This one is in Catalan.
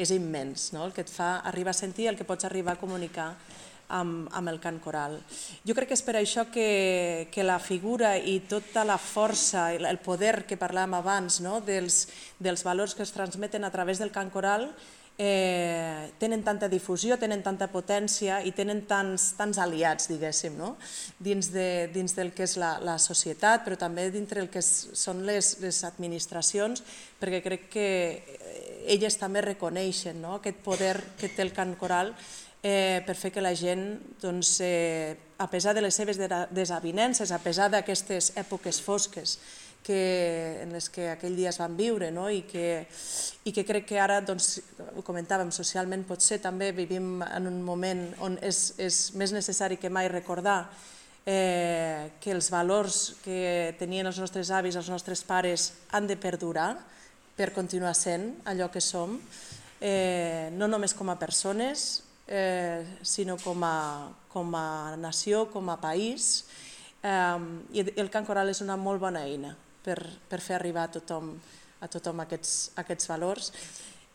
és immens, el que et fa arribar a sentir, el que pots arribar a comunicar amb el cant coral. Jo crec que és per això que la figura i tota la força, el poder que parlàvem abans, dels valors que es transmeten a través del cant coral, tenen tanta difusió, tenen tanta potència i tenen tants aliats, diguéssim, dins del que és la societat, però també dintre del que són les administracions, perquè crec que elles també reconeixen aquest poder que té el cant coral per fer que la gent, a pesar de les seves desavinences, a pesar d'aquestes èpoques fosques en les que aquell dia es van viure i que crec que ara, ho comentàvem, socialment potser també vivim en un moment on és més necessari que mai recordar que els valors que tenien els nostres avis, els nostres pares, han de perdurar per continuar sent allò que som, no només com a persones, sinó com a nació, com a país. I el cant coral és una molt bona eina per fer arribar a tothom aquests valors.